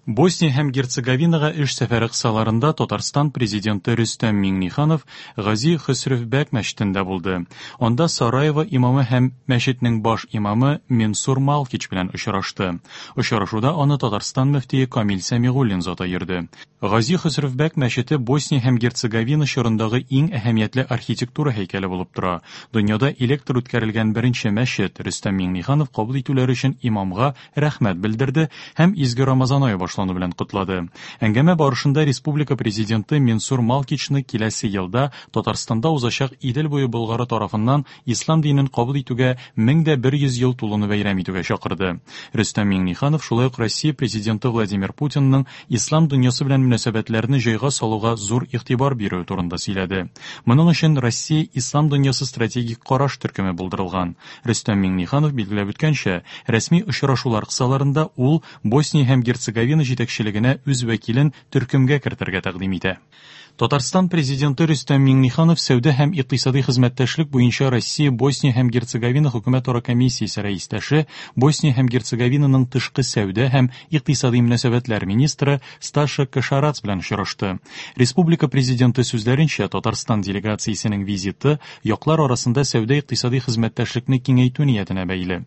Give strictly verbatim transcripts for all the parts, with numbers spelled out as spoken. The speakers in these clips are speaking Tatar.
Босния һәм Герцеговинага эш сәфәре кысаларында Татарстан президенты Рөстәм Миңнеханов Гази Хөсревбәк мәчетендә булды. Анда Сараево имамы һәм мәчетнең баш имамы Менсур Малкич белән очрашты. Очрашуда аны Татарстан мөфтие Камил Сәмигуллин заты йөрде. Гази Хөсревбәк мәчете Босния һәм Герцеговина чорындагы иң әһәмиятле архитектура һәйкәле булып тора. Дөньяда электр үткәрелгән беренче мәчет. Рөстәм Миңнеханов кабул итүләре өчен имамга рәхмәт белдерде һәм изге Рамазан ае башлану белән котлады. Әңгәмә барышында республика президенты Менсур Малкичны киләсе елда Татарстанда узачак Идел буе Болгары тарафыннан ислам динен кабул итүгә мең дә бер йөз ел тулуны бәйрәм итүгә чакырды. Рөстәм Миңнеханов шулай ук Россия президенты Владимир Путинның ислам дөньясы белән мөнәсәбәтләрне җайга салуга зур игътибар бирүе турында сөйләде. Моның өчен Россия ислам дөньясы стратегик караш төркеме булдырылган. Рөстәм Миңнеханов билгеләп үткәнчә, рәсми очрашулар кысаларында ул Босния һәм Герцеговина җитәкчелегенә үз вәкилен төркемгә кертергә тәкъдим итә. Татарстан президенты Рөстәм Миңнеханов сәүдә һәм икътисади хезмәттәшлек буенча Россия, Босния һәм Герцеговина хөкүмәтара комиссиясе рәистәше, Босния һәм Герцеговинаның тышкы сәүдә һәм икътисади мөнәсәбәтләр министры Сташа Кошарац белән очрашты. Республика президенты сүзләренчә, Татарстан делегациясенең визиты яклар арасында сәүдә икътисади хезмәттәшлекне киңәйтү ниятенә бәйле.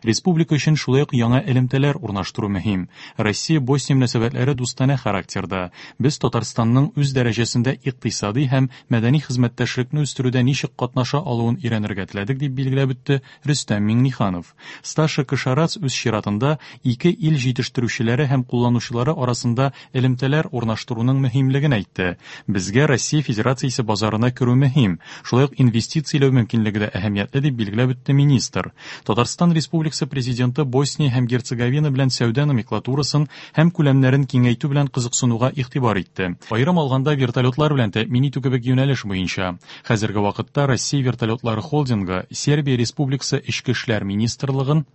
Республика өчен шулай ук яңа элемтәләр урнаштыру мөһим. Россия-Босния мөнәсәбәтләре дустанә характерда. Без Татарстанның үз дәрәҗәсендә икътисади һәм мәдәни хезмәттәшлекне үстерүдә ничек катнаша алуын өйрәнергә теләдек, дип билгеләп үтте Рөстәм Миңнеханов. Сташа Кошарац үз чиратында ике ил җитештерүчеләре һәм кулланучылары арасында элемтәләр урнаштыруның мөһимлеген әйтте. Безгә Россия Федерациясе базарына керү мөһим, шулай ук инвестицияләү мөмкинлеге дә әһәмиятле, дип билгеләп үтте министр. Татарстан Республикасы президенты Босния һәм Герцеговина белән сәүдә номенклатурасын һәм күләмнәрен киңәйтү белән кызыксынуга игътибар итте. Аерым алганда вертолетлар белән тәэмин итү кебек юнәлеш буенча. Хәзерге вакытта Россия вертолетлары холдингы Сербия Республикасы Эчке эшләр министрлыгын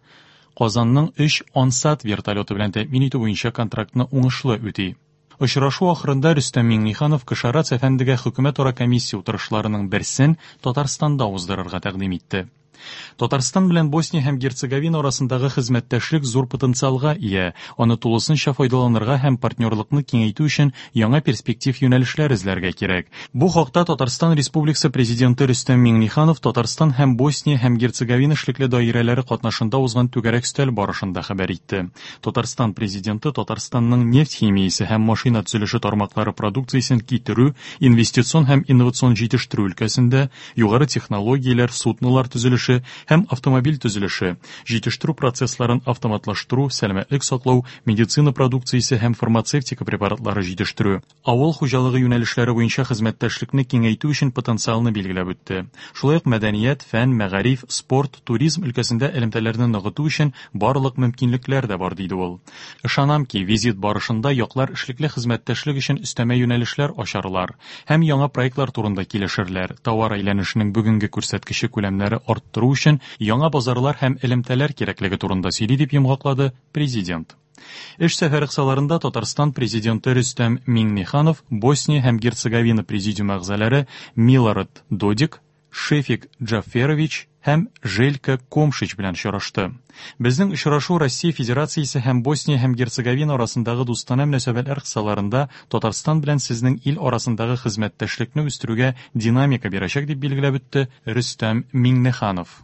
Казанның өч Ансат вертолеты белән тәэмин итү буенча контрактны уңышлы үти. Очрашу ахырында Рөстәм Миңнеханов Кошарац әфәндегә хөкүмәтара комиссия утырышларының берсен Татарстанда уздырырга тәкъдим итте. Татарстан белән Босния һәм Герцеговина арасындагы хезмәттәшлек зур потенциалга ия. Аны тулысынча файдаланырга һәм партнерлыкны киңәйтү өчен яңа перспектив юнәлешләр эзләргә кирәк. Бу хакта Татарстан Республикасы президенты Рөстәм Миңнеханов Татарстан һәм Босния һәм Герцеговина эшлекле даирәләре катнашында узган түгәрәк өстәл барышында хәбәр итте. Татарстан президенты Татарстанның нефть химиясе һәм машина төзелеше тармаклары продукциясен китерү, инвестицион һәм инновацион җитештерү өлкәсендә югары технологияләр, суднолар төзелеше һәм автомобиль төзелеше, җитештерү процессларын автоматлаштыру, сәламәтлек саклау, медицина продукциясе һәм фармацевтика препаратлары җитештерү, авыл хуҗалыгы юнәлешләре буенча хезмәттәшлекне киңәйтү өчен потенциалны билгеләп үтте. Шулай ук мәдәният, фән, мәгариф, спорт, туризм өлкәсендә элемтәләрне ныгыту өчен барлык мөмкинлекләр дә бар, диде ул. Ышанам ки, визит барышында яклар эшлекле хезмәттәшлек өчен өстәмә юнәлешләр ачарлар һәм яңа проектлар турында килешерләр. Товар әйләнешенең бүгенге күрсәткече күләмнәре арттыру өчен яңа базарлар һәм элемтәләр кирәклеге турында сөйли, дип йомгаклады президент. Эш сәфәре кысаларында Татарстан президенты Рөстәм Миңнеханов Босния һәм Герцеговина президиум әгъзалары Милорад Додик, Шефик Джаферович һәм Желька Комшич белән очрашты. Безнең очрашу Россия Федерациясе һәм Босния һәм Герцеговина арасындагы дустанә мөнәсәбәтләр кысаларында Татарстан белән сезнең ил арасындагы хезмәттәшлекне үстерүгә динамика бирәчәк, дип билгеләп үтте Рөстәм Миңнеханов.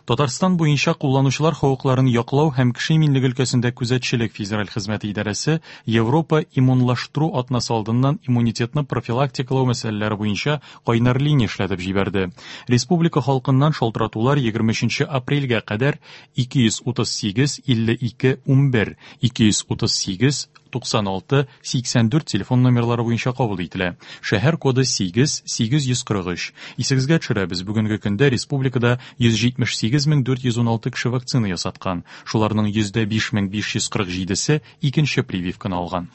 Татарстан буенча кулланучылар хокукларын яклау һәм кеше иминлеге өлкәсендә күзәтчелек федераль хезмәте идарәсе Европа иммунлаштыру атнасы алдыннан иммунитетны профилактикалау мәсьәләләре буенча кайнар линия эшләтеп җибәрде. Республика халкыннан шалтыратулар егерме өченче апрельгә кадәр ике йөз утыз сигез илле ике унбер, ике йөз утыз сигез туксан алты сиксән дүрт телефон номерлары буенча кабул ителә. Шәһәр коды сигез сигез йөз кырык өч. Исегезгә төшерәбез, бүгенге көндә республикада йөз җитмеш сигез мең дүрт йөз ун алты кеше вакцина ясаткан. Шуларның йөздә биш мең биш йөз кырык җидесе икенче прививканы алган.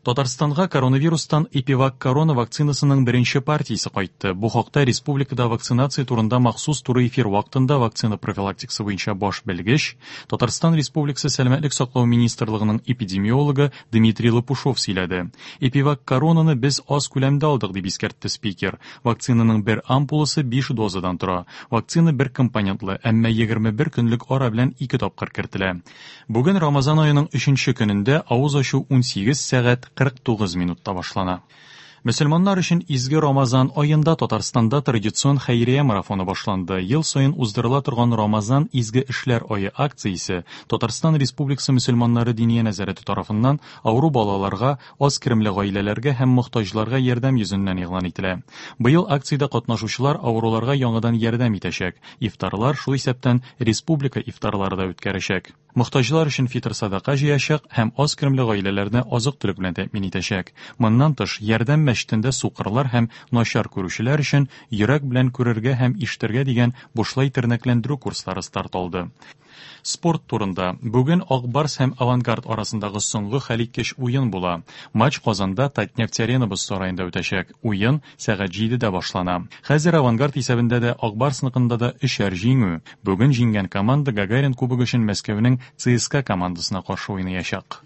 Татарстанга коронавирустан Эпивак Корона вакцинасының беренче партиясе кайтты. Бу хакта республикада вакцинация турында махсус туры эфир вакытында вакцина профилактикасы буенча баш белгеч, Татарстан Республикасы Сәламәтлек саклау министрлыгының эпидемиологы Дмитрий Лопушов сөйләде. Эпивак Коронаны без аз күләмдә алдык, дип искәртте спикер. Вакцинаның бер ампуласы биш дозадан тора. Вакцина бер компонентлы, әмма егерме бер көнлек ара белән ике тапкыр кертелә. Бүген Рамазан аеның өченче көнендә авыз ачу унсигез сәгать кырык тугыз минутта башлана. Мөселманнар өчен изге Рамазан аенда Татарстанда традицион хәйрия марафоны башланды. Ел саен уздырыла торган Рамазан изге эшләр ае акциясе Татарстан Республикасы мөселманнары диния нәзарәте тарафыннан авыру балаларга, аз керемле гаиләләргә һәм мохтаҗларга ярдәм йөзеннән игълан ителә. Быел акциядә катнашучылар авыруларга яңадан ярдәм итәчәк. Ифтарлар, шул исәптән республика ифтарлары да үткәрәчәк. Мохтаҗлар өчен фитр садака җыячак һәм аз керемле гаиләләрне азык-төлек белән тәэмин итәчәк. Моннан тыш, ярдәм мәчетендә сукырлар һәм начар күрүчеләр өчен йөрәк белән күрергә һәм ишетергә дигән бушлай тернәкләндерү курслары старт алды. Спорт турында. Бүген Ак Барс һәм Авангард арасындагы соңгы хәлиткеч уен була. Матч Казанда Татнефть Арена боз сараенда үтәчәк. Уен сәгать җидедә башлана. Хәзер Авангард исәбендә дә, Ак Барсныкында да өчәр җиңү. Бүген җиңгән команда Гагарин кубогы өчен Мәскәүнең ЦСКА командасына каршы уйнаячак.